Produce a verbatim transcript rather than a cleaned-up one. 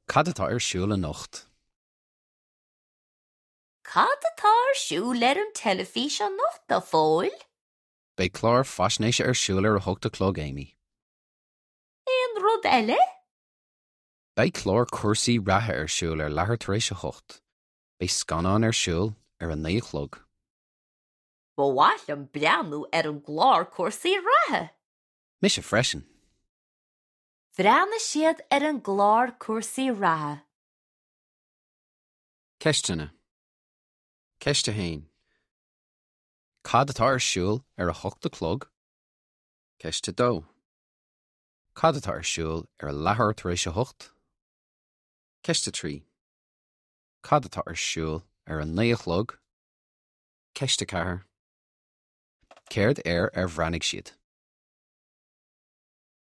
Cad atá ar siúl anocht? Cad atá ar siúl ar an teilifís anocht, a Phóil? Beidh clár faisnéise ar siúl ar a hocht a chlog Amy. Aon rud eile? Beidh clár cúrsaí reatha ar siúl ar leathuair tar éis a hocht. Beidh scannán ar siúl ar a naoi a chlog. Ba mhaith liom breathnú ar an gclár cúrsaí reatha. Mise freisin. Bhreathnaigh siad ar an gclár cúrsaí reatha. Ceisteanna. Ceist a haon. Cad atá ar siúl ar a hocht a chlog? Ceist a dó. Cad atá ar siúl ar a leathuair tar éis a hocht? Ceist a trí. Cad atá ar siúl ar a naoi a chlog? Ceist a ceathair. Céard air ar bhreathnaigh siad?